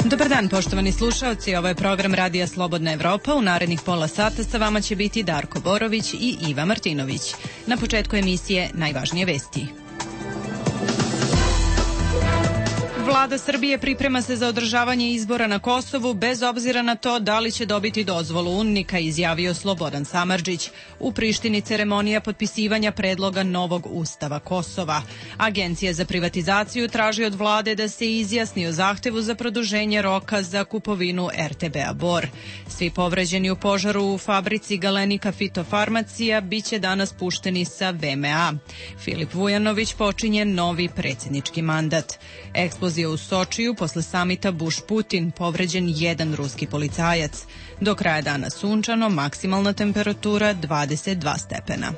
Dobar dan, poštovani slušaoci, ovo je program Radija Slobodna Evropa. U narednih pola sata sa vama će biti Darko Borović i Iva Martinović. Na početku emisije najvažnije vesti. Vlada Srbije priprema se za održavanje izbora na Kosovu bez obzira na to da li će dobiti dozvolu UNMIK-a, izjavio Slobodan Samardžić. U Prištini ceremonija potpisivanja predloga novog ustava Kosova. Agencija za privatizaciju traži od vlade da se izjasni o zahtevu za produženje roka za kupovinu RTB-a Bor. Svi povređeni u požaru u fabrici Galenika Fitofarmacija biće danas pušteni sa VMA. Filip Vujanović počinje novi predsjednički mandat. Eksplozija u Sočiju posle samita Bush-Putin, povređen jedan ruski policajac. Do kraja dana sunčano, maksimalna temperatura 22 stepena.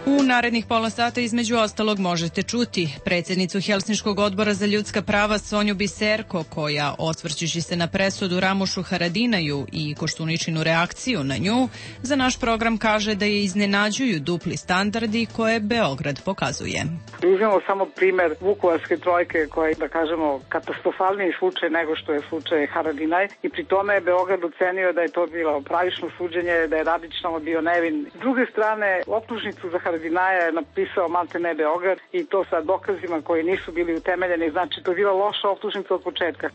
U narednih pola sata između ostalog možete čuti predsjednicu Helsinškog odbora za ljudska prava Sonju Biserko, koja, osvrćući se na presudu Ramušu Haradinaju i Koštuničinu reakciju na nju, za naš program kaže da je iznenađuju dupli standardi koje Beograd pokazuje. Uzmemo samo primer Vukovarske trojke, koja je, da kažemo, katastrofalniji slučaj nego što je slučaj Haradinaj, i pri tome je Beograd ocenio da je to bilo pravično suđenje, da je Radić tamo bio nevin. S druge strane, optužnicu za Haradinaja je napisao maltene Beograd, i to sa dokazima koji nisu bili utemeljeni, znači to je bila loša optužnica od početka.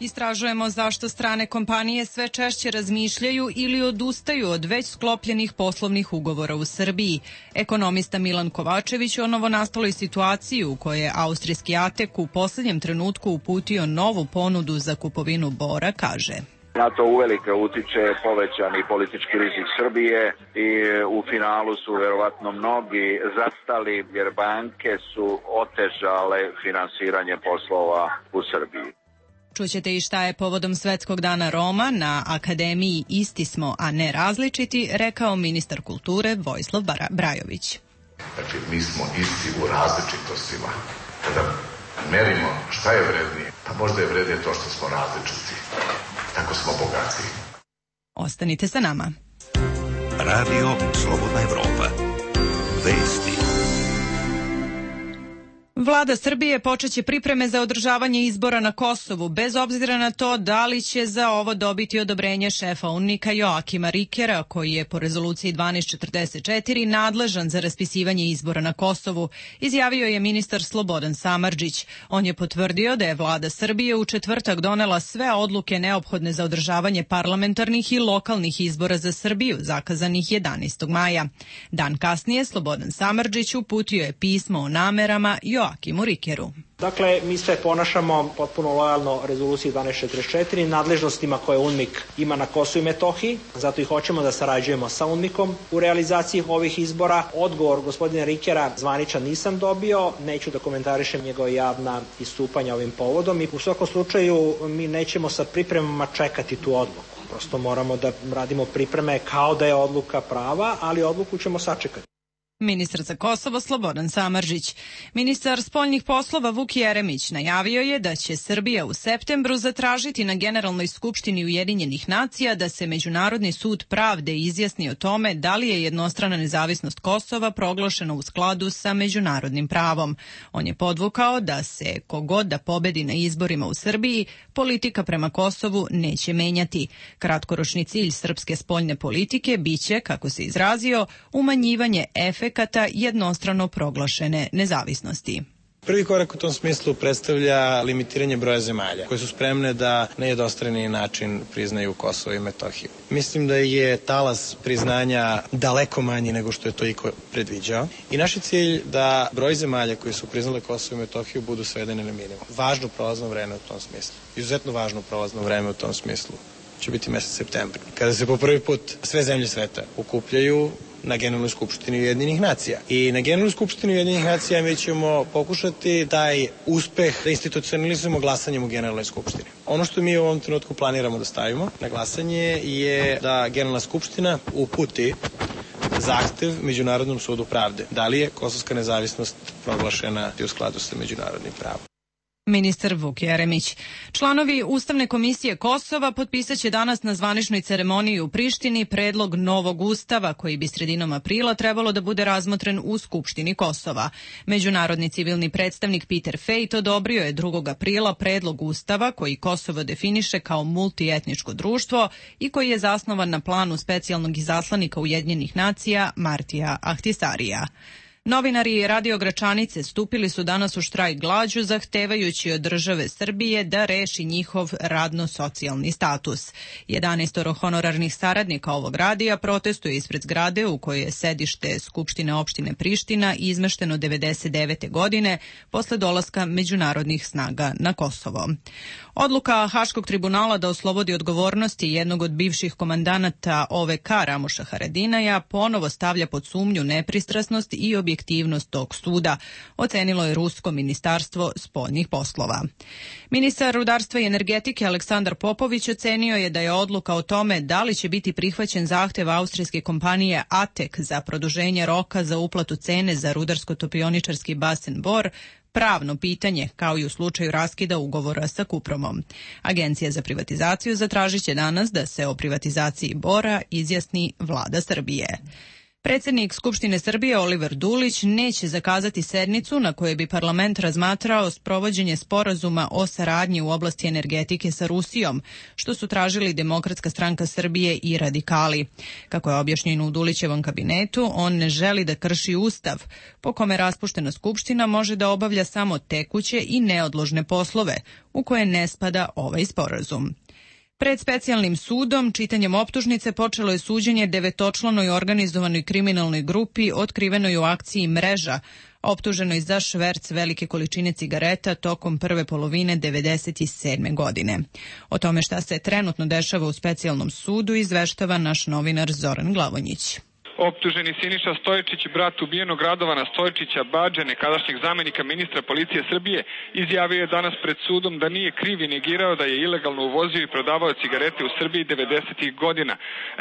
Istražujemo zašto strane kompanije sve češće razmišljaju ili odustaju od već sklopljenih poslovnih ugovora u Srbiji. Ekonomista Milan Kovačević o novonastaloj situaciji u kojoj je austrijski ATEK u poslednjem trenutku uputio novu ponudu za kupovinu Bora kaže: Na to uvelike utiče povećani politički rizik Srbije i u finalu su verovatno mnogi zastali jer banke su otežale finansiranje poslova u Srbiji. Čućete i šta je povodom Svetskog dana Roma na Akademiji Isti smo, a ne različiti, rekao ministar kulture Vojislav Brajović. Znači, mi smo isti u različitostima. Kada merimo šta je vrednije, pa možda je vrednije to što smo različiti. Tako smo bogati. Ostanite sa nama. Radio Slobodna Evropa. Vesti. Vlada Srbije počeće pripreme za održavanje izbora na Kosovu, bez obzira na to da li će za ovo dobiti odobrenje šefa UNMIK-a Joakima Rikera, koji je po rezoluciji 1244 nadležan za raspisivanje izbora na Kosovu, izjavio je ministar Slobodan Samardžić. On je potvrdio da je vlada Srbije u četvrtak donela sve odluke neophodne za održavanje parlamentarnih i lokalnih izbora za Srbiju, zakazanih 11. maja. Dan kasnije Slobodan Samardžić uputio je pismo o namerama Joakimu Rikeru. Dakle, mi se ponašamo potpuno lojalno rezoluciji 1244, nadležnostima koje UNMIK ima na Kosovu i Metohiji, zato i hoćemo da sarađujemo sa UNMIK-om u realizaciji ovih izbora. Odgovor gospodina Rikera zvaničan nisam dobio, neću da komentarišem njegova javna istupanja ovim povodom i u svakom slučaju mi nećemo sa pripremama čekati tu odluku. Prosto moramo da radimo pripreme kao da je odluka prava, ali odluku ćemo sačekati. Ministar za Kosovo Slobodan Samardžić. Ministar spoljnih poslova Vuk Jeremić najavio je da će Srbija u septembru zatražiti na Generalnoj skupštini Ujedinjenih nacija da se Međunarodni sud pravde izjasni o tome da li je jednostrana nezavisnost Kosova proglašena u skladu sa međunarodnim pravom. On je podvukao da se kogod da pobedi na izborima u Srbiji, politika prema Kosovu neće menjati. Kratkoročni cilj srpske spoljne politike biće, kako se izrazio, umanjivanje efekata jednostrano proglašene nezavisnosti. Prvi korak u tom smislu predstavlja limitiranje broja zemalja koje su spremne da na jednostrani način priznaju Kosovo i Metohiju. Mislim da je talas priznanja daleko manji nego što je to iko predviđao i naš je cilj da broj zemalja koji su priznale Kosovo i Metohiju budu svedene na minimum. Važno prolazno vreme u tom smislu. Izuzetno važno prolazno vreme u tom smislu će biti mesec septembar, kada se po prvi put sve zemlje sveta okupljaju na Generalnoj skupštini Ujedinjenih nacija. I na Generalnoj skupštini Ujedinjenih nacija mi ćemo pokušati taj uspeh da institucionalizujemo glasanjem u Generalnoj skupštini. Ono što mi u ovom trenutku planiramo da stavimo na glasanje je da Generalna skupština uputi zahtev Međunarodnom sudu pravde. Da li je kosovska nezavisnost proglašena u skladu sa međunarodnim pravom? Ministar Vuk Jeremić. Članovi Ustavne komisije Kosova potpisaće danas na zvaničnoj ceremoniji u Prištini predlog novog ustava koji bi sredinom aprila trebalo da bude razmotren u Skupštini Kosova. Međunarodni civilni predstavnik Peter Fejt odobrio je 2. aprila predlog ustava koji Kosovo definiše kao multietničko društvo i koji je zasnovan na planu specijalnog izaslanika Ujedinjenih nacija Martija Ahtisarija. Novinari Radio Gračanice stupili su danas u štrajk glađu zahtevajući od države Srbije da reši njihov radno-socijalni status. 11 honorarnih saradnika ovog radija protestuje ispred zgrade u kojoj je sedište Skupštine opštine Priština izmešteno 1999. godine posle dolaska međunarodnih snaga na Kosovo. Odluka Haškog tribunala da oslobodi odgovornosti jednog od bivših komandanata OVK Ramuša Haradinaja ponovo stavlja pod sumnju nepristrasnost i objektivnost tog suda, ocenilo je Rusko ministarstvo spoljnih poslova. Ministar rudarstva i energetike Aleksandar Popović ocenio je da je odluka o tome da li će biti prihvaćen zahtev austrijske kompanije ATEK za produženje roka za uplatu cene za rudarsko-topioničarski basen Bor pravno pitanje, kao i u slučaju raskida ugovora sa Kupromom. Agencija za privatizaciju zatražit će danas da se o privatizaciji Bora izjasni vlada Srbije. Predsjednik Skupštine Srbije Oliver Dulić neće zakazati sednicu na kojoj bi parlament razmatrao sprovođenje sporazuma o saradnji u oblasti energetike sa Rusijom, što su tražili Demokratska stranka Srbije i radikali. Kako je objašnjeno u Dulićevom kabinetu, on ne želi da krši Ustav, po kome raspuštena Skupština može da obavlja samo tekuće i neodložne poslove, u koje ne spada ovaj sporazum. Pred specijalnim sudom, čitanjem optužnice, počelo je suđenje 9-članoj organizovanoj kriminalnoj grupi otkrivenoj u akciji Mreža, optuženoj za šverc velike količine cigareta tokom prve polovine 1997. godine. O tome šta se trenutno dešava u specijalnom sudu izveštava naš novinar Zoran Glavonjić. Optuženi Siniša Stojičić, brat ubijenog Radovana Stojičića Badže, nekadašnjeg zamenika ministra policije Srbije, izjavio je danas pred sudom da nije kriv i negirao da je ilegalno uvozio i prodavao cigarete u Srbiji 90. godina.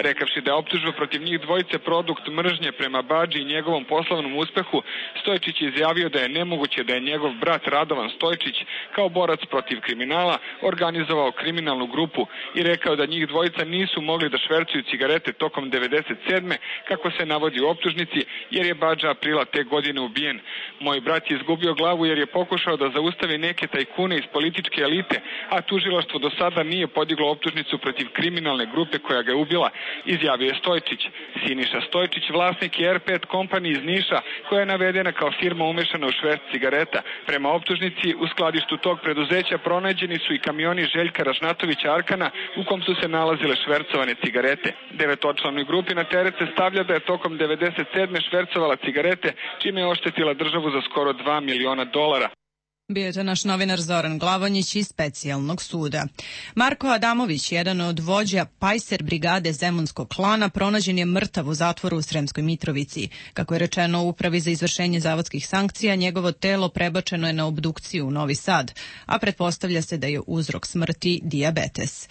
Rekavši da je optužba protiv njih dvojice produkt mržnje prema Badži i njegovom poslovnom uspehu, Stojičić je izjavio da je nemoguće da je njegov brat Radovan Stojičić kao borac protiv kriminala organizovao kriminalnu grupu i rekao da njih dvojica nisu mogli da švercuju cigarete tokom 97. kako se navodi u optužnici, jer je Badža aprila te godine ubijen. Moj brat je izgubio glavu jer je pokušao da zaustavi neke tajkune iz političke elite, a tužilaštvo do sada nije podiglo optužnicu protiv kriminalne grupe koja ga je ubila, izjavio je Stojičić. Siniša Stojičić, vlasnik je R5 Company iz Niša, koja je navedena kao firma umešana u šverc cigareta. Prema optužnici, u skladištu tog preduzeća pronađeni su i kamioni Željka Ražnatovića Arkana u kom su se nalazile švercovane cigarete. 9-članoj grupi na teret se stavlja da je tokom 97. švercovala cigarete, čime je oštetila državu za skoro $2 miliona. Bio je to naš novinar Zoran Glavonjić iz specijalnog suda. Marko Adamović, jedan od vođa Pajser brigade Zemunskog klana, pronađen je mrtav u zatvoru u Sremskoj Mitrovici. Kako je rečeno u Upravi za izvršenje zavodskih sankcija, njegovo telo prebačeno je na obdukciju u Novi Sad, a pretpostavlja se da je uzrok smrti dijabetes.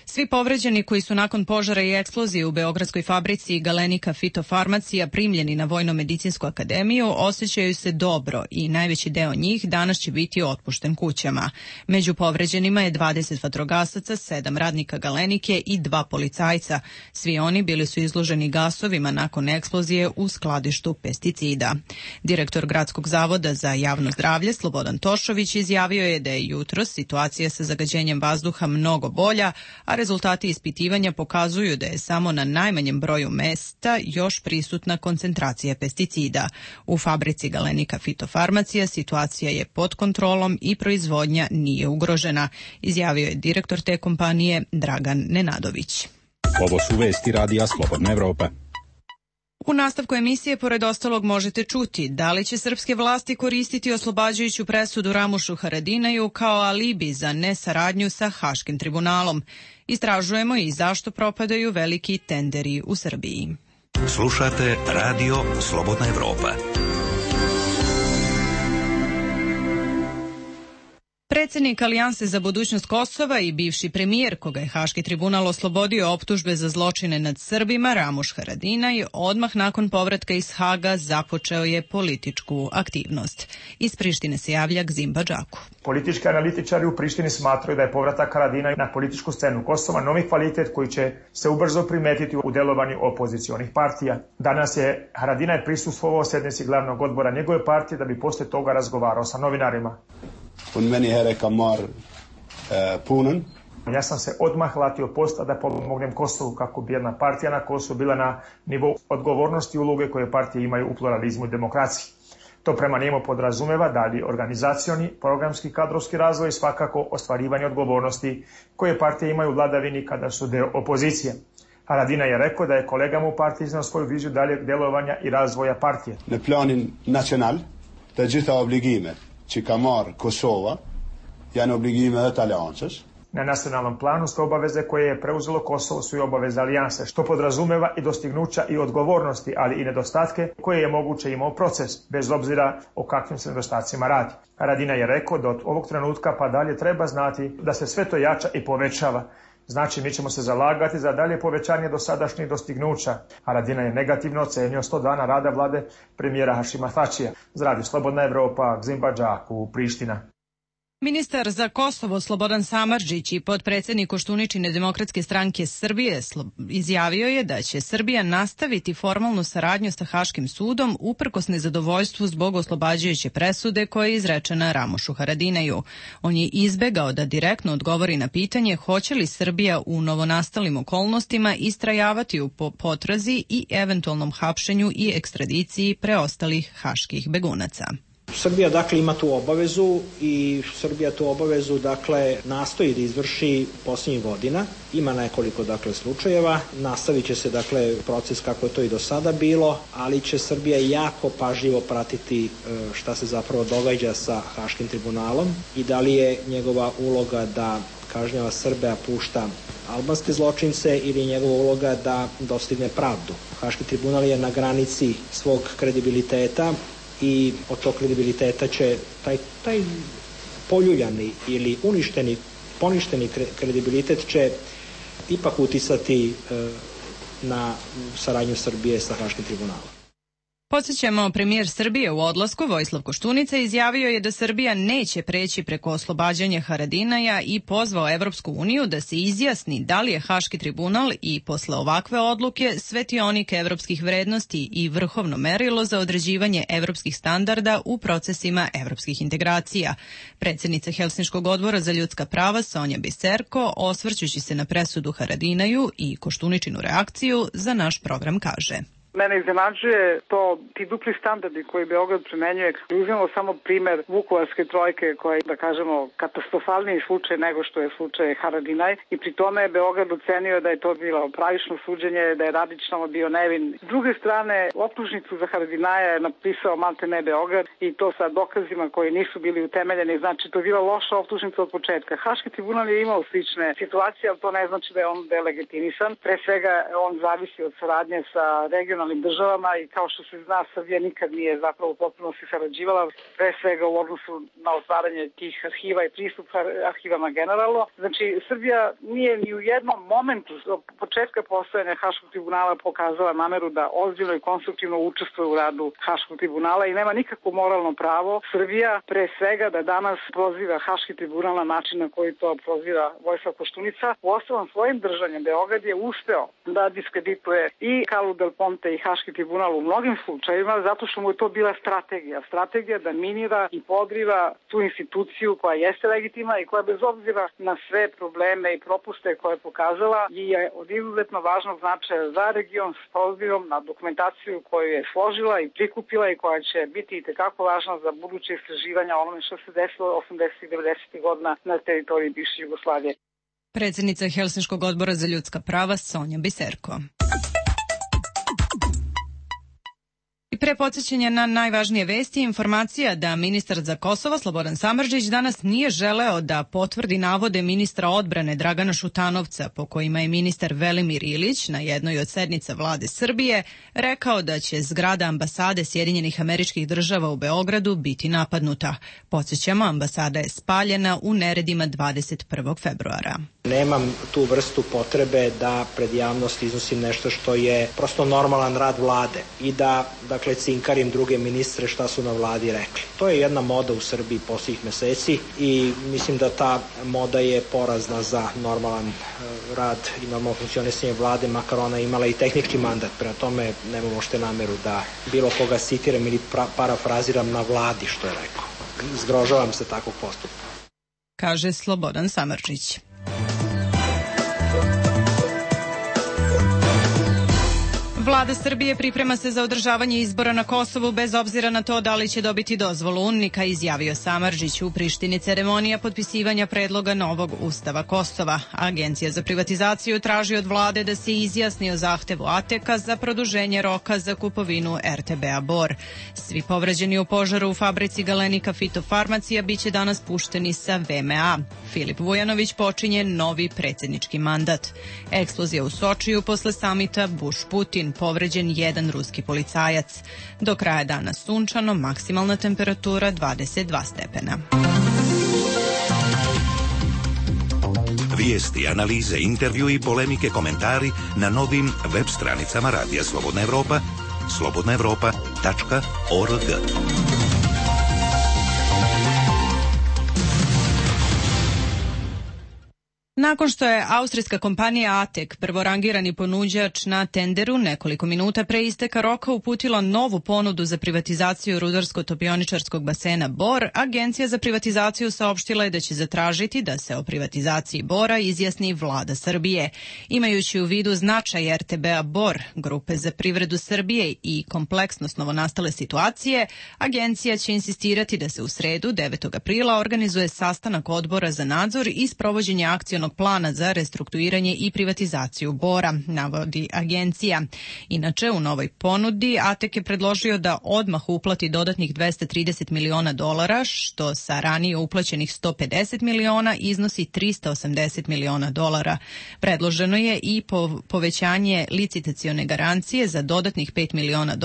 Svi povređeni koji su nakon požara i eksplozije u beogradskoj fabrici Galenika Fitofarmacija primljeni na Vojno-medicinsku akademiju osjećaju se dobro i najveći deo njih danas će biti otpušten kućama. Među povređenima je 20 vatrogasaca, 7 radnika Galenike i 2 policajca. Svi oni bili su izloženi gasovima nakon eksplozije u skladištu pesticida. Direktor Gradskog zavoda za javno zdravlje Slobodan Tošović izjavio je da je jutros situacija sa zagađenjem vazduha mnogo bolja, a rezultati ispitivanja pokazuju da je samo na najmanjem broju mesta još prisutna koncentracija pesticida. U fabrici Galenika Fitofarmacija situacija je pod kontrolom i proizvodnja nije ugrožena, izjavio je direktor te kompanije Dragan Nenadović. Ovo su vesti Radija Slobodna Evropa. U nastavku emisije, pored ostalog, možete čuti da li će srpske vlasti koristiti oslobađajuću presudu Ramušu Haradinaju kao alibi za nesaradnju sa Haškim tribunalom. Istražujemo i zašto propadaju veliki tenderi u Srbiji. Slušate Radio Slobodna Evropa. Predsednik Alijanse za budućnost Kosova i bivši premijer, koga je Haški tribunal oslobodio optužbe za zločine nad Srbima, Ramuš Haradinaj, odmah nakon povratka iz Haga započeo je političku aktivnost. Iz Prištine se javlja Gzim Badžaku. Politički analitičari u Prištini smatraju da je povratak Haradinaj na političku scenu Kosova novi kvalitet koji će se ubrzo primetiti u delovanju opozicionih partija. Danas je Haradinaj prisustvovao sednici glavnog odbora njegove partije da bi posle toga razgovarao sa novinarima. Ja sam se odmah latio posta da pomognem Kosovu kako bi jedna partija na Kosovu bila na nivou odgovornosti i uloge koje partije imaju u pluralizmu i demokraciji. To prema njemu podrazumeva dalji organizacioni, programski, kadrovski razvoj i svakako ostvarivanje odgovornosti koje partije imaju u vladavini kada su deo opozicije. Haradinaj je rekao da je kolegama u partiji iznao svoju viziju daljeg delovanja i razvoja partije. Në planin nacional, të gjitha obligime që ka marrë Kosova janë obligime dhe të aliancës. Na nacionalnom planu sve obaveze koje je preuzelo Kosovo su i obaveze alijanse, što podrazumeva i dostignuća i odgovornosti, ali i nedostatke koje je moguće imao proces, bez obzira o kakvim se nedostacima radi. Haradinaj je rekao da od ovog trenutka pa dalje treba znati da se sve to jača i povećava. Znači, mi ćemo se zalagati za dalje povećanje dosadašnjih dostignuća. Haradinaj je negativno ocenio 100 dana rada vlade premijera Hašima Tačija. Za Radio Slobodna Evropa, Gzim Badžaku, Priština. Ministar za Kosovo Slobodan Samardžić i potpredsednik Koštuničine Demokratske stranke Srbije izjavio je da će Srbija nastaviti formalnu saradnju sa Haškim sudom uprkos nezadovoljstvu zbog oslobađajuće presude koja je izrečena Ramušu Haradinaju. On je izbegao da direktno odgovori na pitanje hoće li Srbija u novonastalim okolnostima istrajavati u potrazi i eventualnom hapšenju i ekstradiciji preostalih haških begunaca. Srbija dakle ima tu obavezu i Srbija tu obavezu dakle nastoji da izvrši posljednjih godina. Ima nekoliko dakle slučajeva, nastavit će se dakle proces kako je to i do sada bilo, ali će Srbija jako pažljivo pratiti šta se zapravo događa sa Haškim tribunalom i da li je njegova uloga da kažnjava Srbe, a pušta albanske zločince ili je njegova uloga da dostigne pravdu. Haški tribunal je na granici svog kredibiliteta i od tog kredibiliteta će taj poljuljani ili poništeni kredibilitet će ipak uticati na saradnju Srbije sa Haškim tribunalom. Podsjećamo, premijer Srbije u odlasku Vojislav Koštunica izjavio je da Srbija neće preći preko oslobađanja Haradinaja i pozvao Evropsku uniju da se izjasni da li je Haški tribunal i posle ovakve odluke svetionik evropskih vrednosti i vrhovno merilo za određivanje evropskih standarda u procesima evropskih integracija. Predsjednica Helsinškog odbora za ljudska prava Sonja Biserko, osvrćući se na presudu Haradinaju i Koštuničinu reakciju, za naš program kaže: Mene iznenađuje to, ti dupli standardi koji Beograd primenjuje. Uzmemo samo primer Vukovarske trojke koja je, da kažemo, katastrofalniji slučaj nego što je slučaj Haradinaj i pri tome je Beograd ocenio da je to bilo pravično suđenje, da je Radićno bio nevin. S druge strane, optužnicu za Haradinaja je napisao maltene Beograd i to sa dokazima koji nisu bili utemeljeni, znači to je bila loša optužnica od početka. Haški tribunal je imao slične situacije, ali to ne znači da je on delegitimisan. Pre svega on zavisi od saradnje sa regionalnim državama i kao što se zna, Srbija nikad nije zapravo potpuno se sarađivala, pre svega u odnosu na otvaranje tih arhiva i pristup arhivama generalno. Znači, Srbija nije ni u jednom momentu od početka postojanja Haškog tribunala pokazala nameru da ozbiljno i konstruktivno učestvuje u radu Haškog tribunala i nema nikakvo moralno pravo Srbija pre svega da danas proziva Haški tribunal na način na koji to proziva Vojislav Koštunica. Uostalom, svojim držanjem Beograd je uspeo da diskredituje i Carlu Del Ponte i Haški tribunal u mnogim slučajevima zato što mu je to bila strategija da minira i podriva tu instituciju koja jeste legitimna i koja bez obzira na sve probleme i propuste koje je pokazala je od izuzetno važnog značaja za region s obzirom na dokumentaciju koju je složila i prikupila i koja će biti itekako važna za buduće istraživanja onome što se desilo 80. i 90. godina na teritoriji bivše Jugoslavije. Predsjednica Helsinškog odbora za ljudska prava Sonja Biserko. Pre podsjećanja na najvažnije vesti, informacija da ministar za Kosovo Slobodan Samardžić danas nije želeo da potvrdi navode ministra odbrane Dragana Šutanovca, po kojima je ministar Velimir Ilić na jednoj od sednica vlade Srbije rekao da će zgrada ambasade Sjedinjenih Američkih Država u Beogradu biti napadnuta. Podsjećamo, ambasada je spaljena u neredima 21. februara. Nemam tu vrstu potrebe da pred javnost iznosim nešto što je prosto normalan rad vlade i da, dakle, cinkarim druge ministre šta su na vladi rekli. To je jedna moda u Srbiji posljednjih meseci i mislim da ta moda je porazna za normalan rad i normalno funkcionisanje vlade, makar ona imala i tehnički mandat. Prema tome nemam uopšte nameru da bilo koga citiram ili parafraziram na vladi što je rekao. Zgrožavam se takvog postupka. Kaže Slobodan Samardžić. Vlada Srbije priprema se za održavanje izbora na Kosovu bez obzira na to da li će dobiti dozvolu UNMIK-a, izjavio Samardžić u Prištini. Ceremonija potpisivanja predloga novog ustava Kosova. Agencija za privatizaciju traži od vlade da se izjasni o zahtevu ATEK-a za produženje roka za kupovinu RTB-a Bor. Svi povređeni u požaru u fabrici Galenika Fitofarmacija biće danas pušteni sa VMA. Filip Vujanović počinje novi predsjednički mandat. Eksplozija u Sočiju posle samita Bush-Putin. Povređen jedan ruski policajac. Do kraja dana sunčano, maksimalna temperatura 22 stepena. Vijesti, analize, intervju i polemike, komentari na novim web stranicama Radija Slobodna Evropa, slobodnaevropa.org. Nakon što je austrijska kompanija ATEK, prvorangirani ponuđač na tenderu, nekoliko minuta pre isteka roka uputila novu ponudu za privatizaciju rudarsko-topioničarskog basena Bor, Agencija za privatizaciju saopštila je da će zatražiti da se o privatizaciji Bora izjasni vlada Srbije. Imajući u vidu značaj RTB-a Bor, Grupe za privredu Srbije i kompleksnost novonastale situacije, agencija će insistirati da se u sredu, 9. aprila, organizuje sastanak odbora za nadzor i sprovođenje akcionog plana za restrukturiranje i privatizaciju Bora, navodi agencija. Inače, u novoj ponudi ATEK je predložio da odmah uplati dodatnih $230 miliona, što sa ranije uplaćenih $150 miliona iznosi $380 miliona. Predloženo je i povećanje licitacione garancije za dodatnih $5 miliona,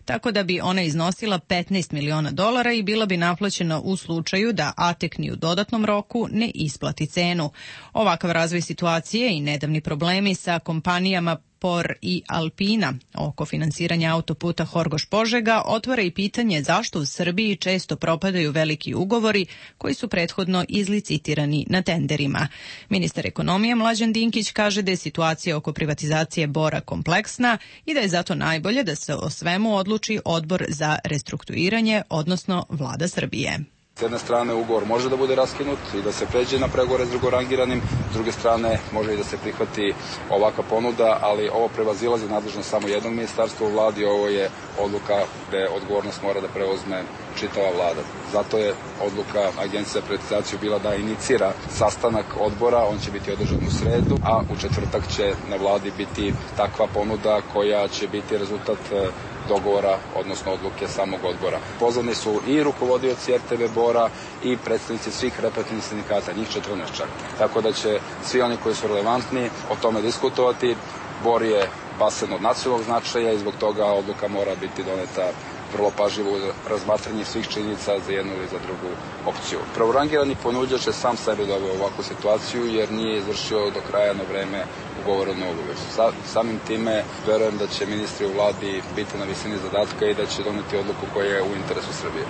tako da bi ona iznosila $15 miliona i bila bi naplaćena u slučaju da ATEK ni u dodatnom roku ne isplati cenu. Ovakav razvoj situacije i nedavni problemi sa kompanijama POR i Alpina oko finansiranja autoputa Horgoš-Požega otvara i pitanje zašto u Srbiji često propadaju veliki ugovori koji su prethodno izlicitirani na tenderima. Ministar ekonomije Mlađan Dinkić kaže da je situacija oko privatizacije Bora kompleksna i da je zato najbolje da se o svemu odluči odbor za restrukturiranje, odnosno vlada Srbije. S jedne strane ugovor može da bude raskinut i da se pređe na pregovore s drugorangiranim, s druge strane može i da se prihvati ovakva ponuda, ali ovo prevazilazi nadležnost samo jednog ministarstva u vladi, ovo je odluka gde odgovornost mora da preuzme čitava vlada. Zato je odluka Agencije za privatizaciju bila da inicira sastanak odbora, on će biti održan u sredu, a u četvrtak će na vladi biti takva ponuda koja će biti rezultat dogovora, odnosno odluke samog odbora. Pozvani su i rukovodioci RTV Bora i predstavnici svih reprezentativnih sindikata, njih 14 čak. Tako da će svi oni koji su relevantni o tome diskutovati. Bor je basen od nacionalnog značaja i zbog toga odluka mora biti doneta vrlo pažljivo u razmatranje svih činjenica za jednu ili za drugu opciju. Prvorangirani ponuđač je sam sebe doveo u ovakvu situaciju jer nije izvršio do kraja na vreme ugovorenu obavezu. Samim time verujem da će ministri u vladi biti na visini zadatka i da će doneti odluku koja je u interesu Srbije.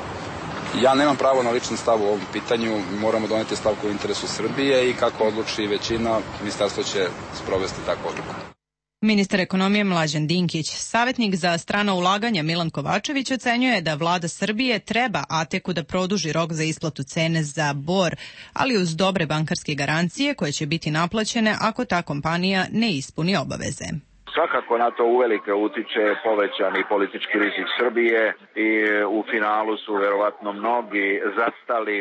Ja nemam pravo na lični stav u ovom pitanju, moramo doneti stav koji je u interesu Srbije i kako odluči većina, ministarstvo će sprovesti takvu odluku. Ministar ekonomije Mlađan Dinkić. Savjetnik za strano ulaganja Milan Kovačević ocenjuje da vlada Srbije treba ATEK-u da produži rok za isplatu cene za Bor, ali uz dobre bankarske garancije koje će biti naplaćene ako ta kompanija ne ispuni obaveze. Svakako na to uvelike utiče povećani politički rizik Srbije i u finalu su verovatno mnogi zastali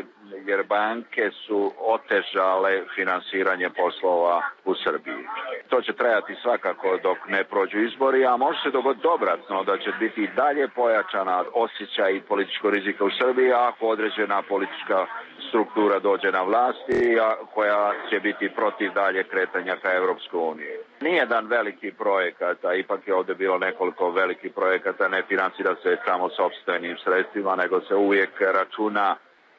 jer banke su otežale finansiranje poslova u Srbiji. To će trajati svakako dok ne prođu izbori, a može se dogoditi obratno da će biti i dalje pojačana osjećaj političkog rizika u Srbiji ako određena politička struktura dođe na vlasti, koja će biti protiv dalje kretanja ka Evropskoj uniji. Nije jedan veliki projekat, a ipak je ovdje bilo nekoliko velikih projekata, ne financira se samo sopstvenim sredstvima, nego se uvijek računa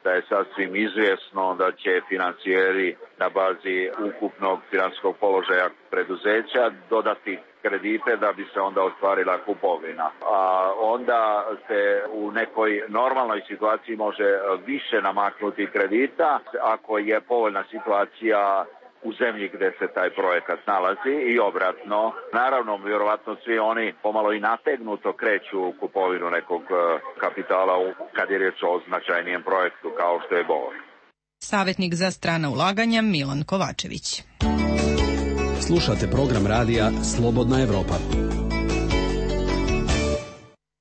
da je sasvim izvjesno da će financijeri na bazi ukupnog financijskog položaja preduzeća dodati kredite da bi se onda ostvarila kupovina. A onda se u nekoj normalnoj situaciji može više namaknuti kredita ako je povoljna situacija u zemlji gdje se taj projekat nalazi i obratno. Naravno, vjerovatno svi oni pomalo i nategnuto kreću u kupovinu nekog kapitala kad je riječ o značajnijem projektu kao što je Bor. Savjetnik za strana ulaganja Milan Kovačević. Slušate program radija Slobodna Evropa.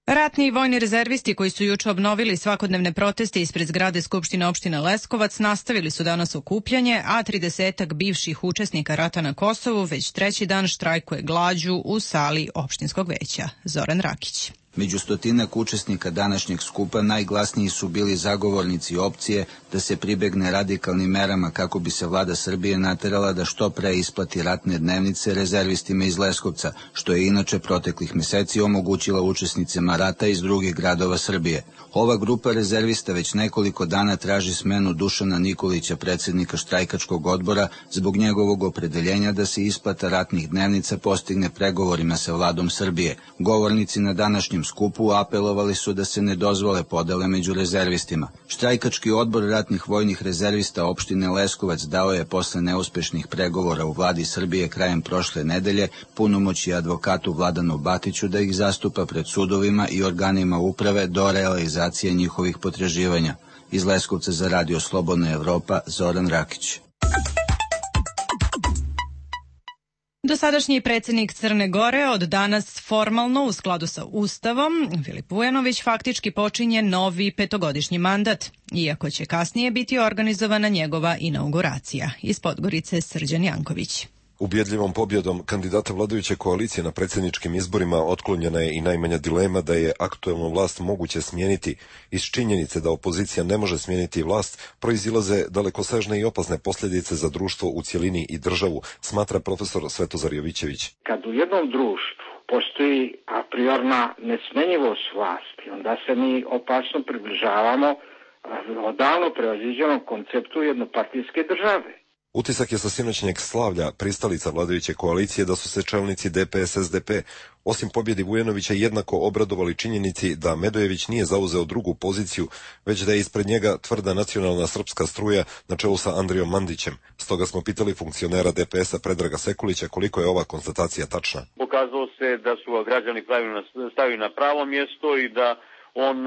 Ratni i vojni rezervisti koji su juče obnovili svakodnevne proteste ispred zgrade Skupštine opštine Leskovac nastavili su danas okupljanje, a 30-ak bivših učesnika rata na Kosovu već treći dan štrajkuje glađu u sali opštinskog veća. Zoran Rakić. Među stotinak učesnika današnjeg skupa najglasniji su bili zagovornici opcije da se pribegne radikalnim merama kako bi se vlada Srbije naterala da što pre isplati ratne dnevnice rezervistima iz Leskovca, što je inače proteklih meseci omogućila učesnicima rata iz drugih gradova Srbije. Ova grupa rezervista već nekoliko dana traži smenu Dušana Nikolića, predsjednika štrajkačkog odbora, zbog njegovog opredeljenja da se isplata ratnih dnevnica postigne pregovorima sa vladom Srbije. Govornici na današnjem skupu apelovali su da se ne dozvole podele među rezervistima. Štrajkački odbor ratnih vojnih rezervista opštine Leskovac dao je posle neuspešnih pregovora u vladi Srbije krajem prošle nedelje punomoći advokatu Vladanu Batiću da ih zastupa pred sudovima i organima uprave do realizacije njihovih potraživanja. Iz Leskovca za Radio Slobodna Evropa, Zoran Rakić. Dosadašnji predsjednik Crne Gore od danas formalno u skladu sa Ustavom, Filip Vujanović, faktički počinje novi petogodišnji mandat, iako će kasnije biti organizovana njegova inauguracija. Iz Podgorice Srđan Janković. Ubjedljivom pobjedom kandidata vladajuće koalicije na predsjedničkim izborima otklonjena je i najmanja dilema da je aktuelnu vlast moguće smijeniti. Iz činjenice da opozicija ne može smijeniti vlast proizilaze dalekosežne i opasne posljedice za društvo u cjelini i državu, smatra profesor Svetozar Jovićević. Kad u jednom društvu postoji a priorna nesmenjivost vlasti, onda se mi opasno približavamo odavno prevaziđenom konceptu jednopartijske države. Utisak je sa sinoćnjeg slavlja pristalica vladajuće koalicije da su se čelnici DPS-SDP osim pobjedi Vujanovića jednako obradovali činjenici da Medojević nije zauzeo drugu poziciju, već da je ispred njega tvrda nacionalna srpska struja na čelu sa Andrijom Mandićem. Stoga smo pitali funkcionera DPS-a Predraga Sekulića koliko je ova konstatacija tačna. Pokazalo se da su ga građani stavili na pravo mjesto i da on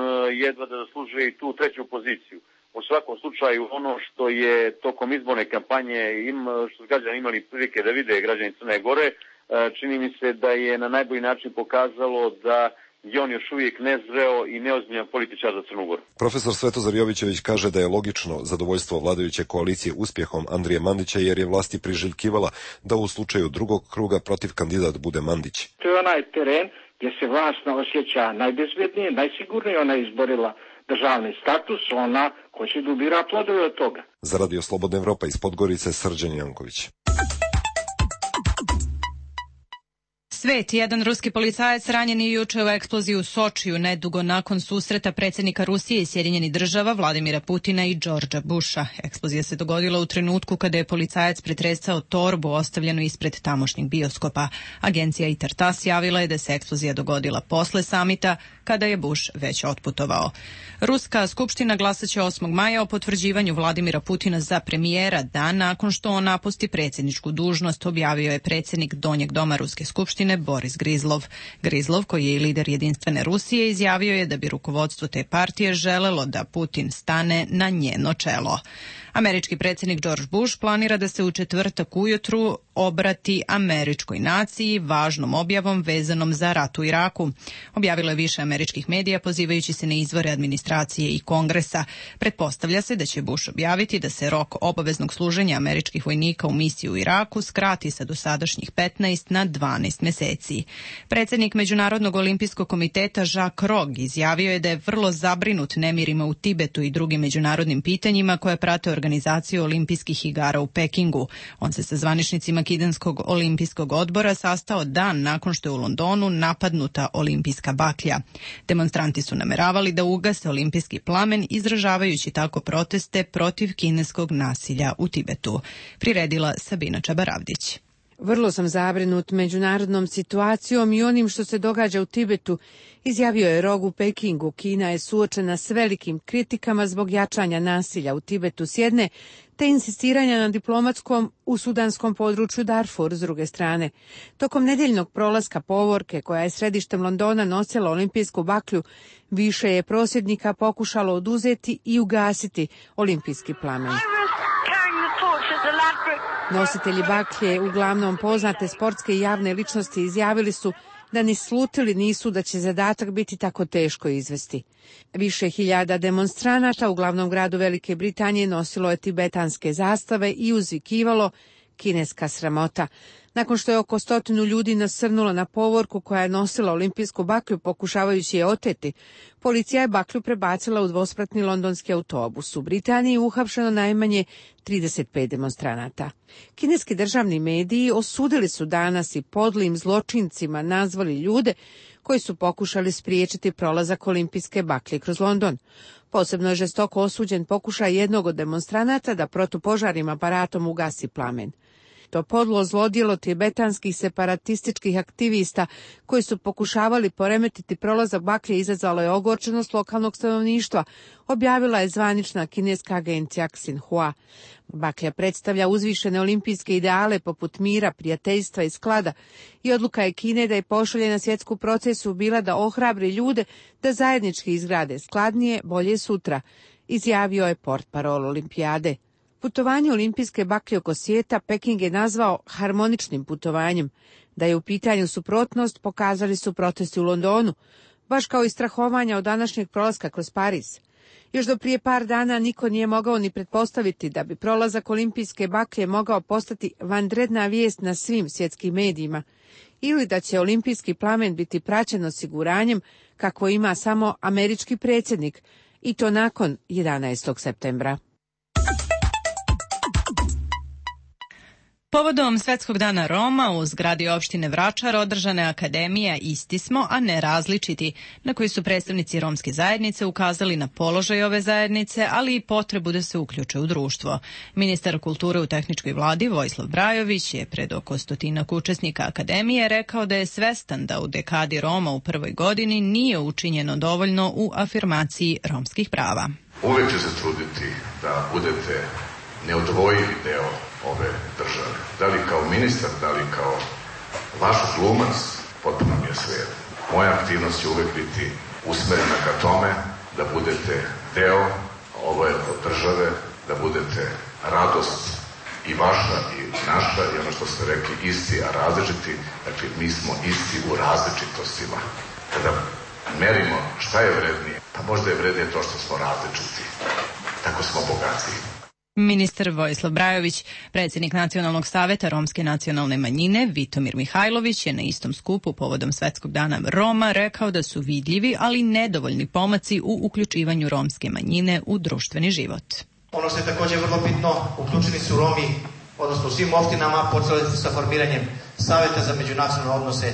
jedva da zaslužuje i tu treću poziciju. U svakom slučaju ono što je tokom izborne kampanje što građani imali prilike da vide građani Crne Gore, čini mi se da je na najbolji način pokazalo da je on još uvijek nezreo i neozbiljan političar za Crnu Goru. Profesor Svetozar Jovićević kaže da je logično zadovoljstvo vladajuće koalicije uspjehom Andrije Mandića jer je vlasti priželjkivala da u slučaju drugog kruga protiv kandidat bude Mandić. To je onaj teren gdje se vlast osjeća najbezbjednije, najsigurnije, ona je izborila državni status, ona hoće da ubira plodove od toga. Za Radio Slobodna Evropa iz Podgorice Srđan Janković. Svet, jedan ruski policajac ranjen je juče u eksploziji u Sočiju nedugo nakon susreta predsjednika Rusije i Sjedinjenih država Vladimira Putina i Đorđa Busha. Eksplozija se dogodila u trenutku kada je policajac pretresao torbu ostavljenu ispred tamošnjeg bioskopa. Agencija ITAR-TASS javila je da se eksplozija dogodila posle samita kada je Bush već otputovao. Ruska skupština glasaće 8. maja o potvrđivanju Vladimira Putina za premijera dan nakon što on napusti predsjedničku dužnost, objavio je predsjednik Donjeg doma Ruske skupštine Boris Grizlov. Grizlov, koji je i lider Jedinstvene Rusije, izjavio je da bi rukovodstvo te partije želelo da Putin stane na njeno čelo. Američki predsjednik George Bush planira da se u četvrtak ujutru obrati američkoj naciji važnom objavom vezanom za rat u Iraku. Objavilo je više američkih medija pozivajući se na izvore administracije i Kongresa. Pretpostavlja se da će Bush objaviti da se rok obaveznog služenja američkih vojnika u misiji u Iraku skrati sa dosadašnjih 15 na 12 meseci. Predsjednik Međunarodnog olimpijskog komiteta Jacques Rogge izjavio je da je vrlo zabrinut nemirima u Tibetu i drugim međunarodnim pitanjima koje prate organizaciju olimpijskih igara u Pekingu. On se sa zvaničnicima Kineska olimpijskog odbora sastao dan nakon što je u Londonu napadnuta olimpijska baklja. Demonstranti su nameravali da ugase olimpijski plamen, izražavajući tako proteste protiv kineskog nasilja u Tibetu. Priredila Sabina Čabaravdić. Vrlo sam zabrinut međunarodnom situacijom i onim što se događa u Tibetu, izjavio je Rogge u Pekingu. Kina je suočena s velikim kritikama zbog jačanja nasilja u Tibetu s jedne, te insistiranja na diplomatskom u sudanskom području Darfur s druge strane. Tokom nedjeljnog prolaska povorke, koja je središtem Londona nosila olimpijsku baklju, više je prosvjednika pokušalo oduzeti i ugasiti olimpijski plamen. Nositelji baklje, uglavnom poznate sportske i javne ličnosti, izjavili su da ni slutili nisu da će zadatak biti tako teško izvesti. Više hiljada demonstranata u glavnom gradu Velike Britanije nosilo je tibetanske zastave i uzvikivalo kineska sramota. Nakon što je oko 100 ljudi nasrnulo na povorku koja je nosila olimpijsku baklju pokušavajući je oteti, policija je baklju prebacila u dvospratni londonski autobus. U Britaniji uhapšeno najmanje 35 demonstranata. Kineski državni mediji osudili su danas i podlim zločincima nazvali ljude koji su pokušali spriječiti prolazak olimpijske baklje kroz London. Posebno je žestoko osuđen pokušaj jednog od demonstranata da protupožarnim aparatom ugasi plamen. To podlo zlodjelo tibetanskih separatističkih aktivista koji su pokušavali poremetiti prolazak baklje izazvalo je ogorčenost lokalnog stanovništva, objavila je zvanična kineska agencija Xinhua. Baklja predstavlja uzvišene olimpijske ideale poput mira, prijateljstva i sklada i odluka je Kine da je pošalje na svjetsku procesu bila da ohrabri ljude da zajednički izgrade skladnije, bolje sutra, izjavio je portparol olimpijade. Putovanje olimpijske baklje oko svijeta Peking je nazvao harmoničnim putovanjem. Da je u pitanju suprotnost pokazali su protesti u Londonu, baš kao i strahovanja od današnjeg prolaska kroz Pariz. Još do prije par dana niko nije mogao ni pretpostaviti da bi prolazak olimpijske baklje mogao postati vanredna vijest na svim svjetskim medijima ili da će olimpijski plamen biti praćen osiguranjem kako ima samo američki predsjednik i to nakon 11. septembra. Povodom Svetskog dana Roma u zgradi opštine Vračar održana je akademija Isti smo, a ne različiti, na koji su predstavnici romske zajednice ukazali na položaj ove zajednice, ali i potrebu da se uključe u društvo. Ministar kulture u tehničkoj vladi Vojislav Brajović je pred oko 100 učesnika akademije rekao da je svestan da u dekadi Roma u prvoj godini nije učinjeno dovoljno u afirmaciji romskih prava. Uvek ću se truditi da budete neodvojivi deo ove države. Da li kao ministar, da li kao vaš glumac, potpuno mi je svejedno. Moja aktivnost će uvek biti usmerena ka tome da budete deo ove države, da budete radost i vaša i naša i ono što ste rekli isti, a različiti. Dakle, mi smo isti u različitostima. Kada merimo šta je vrednije, pa možda je vrednije to što smo različiti. Tako smo bogatiji. Ministar Vojislav Brajović, predsjednik Nacionalnog saveta romske nacionalne manjine Vitomir Mihajlović je na istom skupu povodom Svetskog dana Roma rekao da su vidljivi, ali nedovoljni pomaci u uključivanju romske manjine u društveni život. Ono što je također vrlo bitno, uključeni su Romi, odnosno u svim opštinama, počeli su sa formiranjem Saveta za međunacionalne odnose.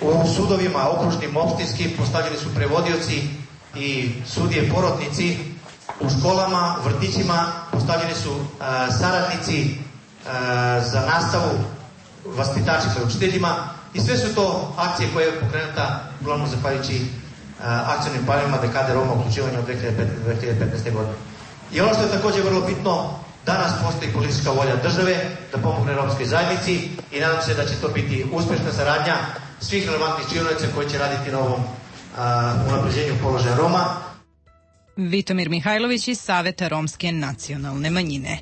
U sudovima, okružnim, opštinskim, postavljeni su prevodioci i sudije porotnici. U školama, u vrtićima postavljeni su saradnici za nastavu, vaspitači sa učiteljima i sve su to akcije koje je pokrenuta uglavnom zahvaljujući akcionim planovima dekade Roma uključivanja od 2015. godine. I ono što je također vrlo bitno, danas postoji politička volja države da pomogne romskoj zajednici i nadam se da će to biti uspješna saradnja svih relevantnih činionica koji će raditi na ovom unapređenju položaja Roma. Vitomir Mihajlović iz Saveta Romske nacionalne manjine.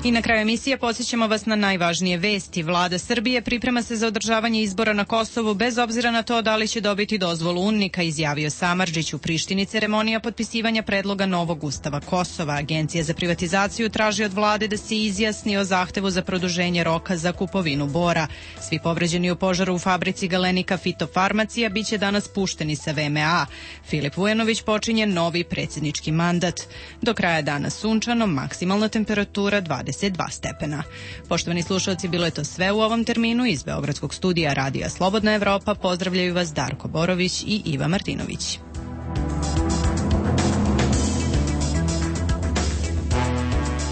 I na kraju emisije podsjećamo vas na najvažnije vesti. Vlada Srbije priprema se za održavanje izbora na Kosovu bez obzira na to da li će dobiti dozvolu UNMIK-a, izjavio Samardžić. U Prištini ceremonija potpisivanja predloga novog ustava Kosova. Agencija za privatizaciju traži od vlade da se izjasni o zahtevu za produženje roka za kupovinu bora. Svi povređeni u požaru u fabrici Galenika Fitofarmacija biće danas pušteni sa VMA. Filip Vujanović počinje novi predsjednički mandat. Do kraja dana sunčano, maksimalna temperatura 22 stepena. Poštovani slušalci, bilo je to sve u ovom terminu. Iz Beogradskog studija Radija Slobodna Evropa pozdravljaju vas Darko Borović i Iva Martinović.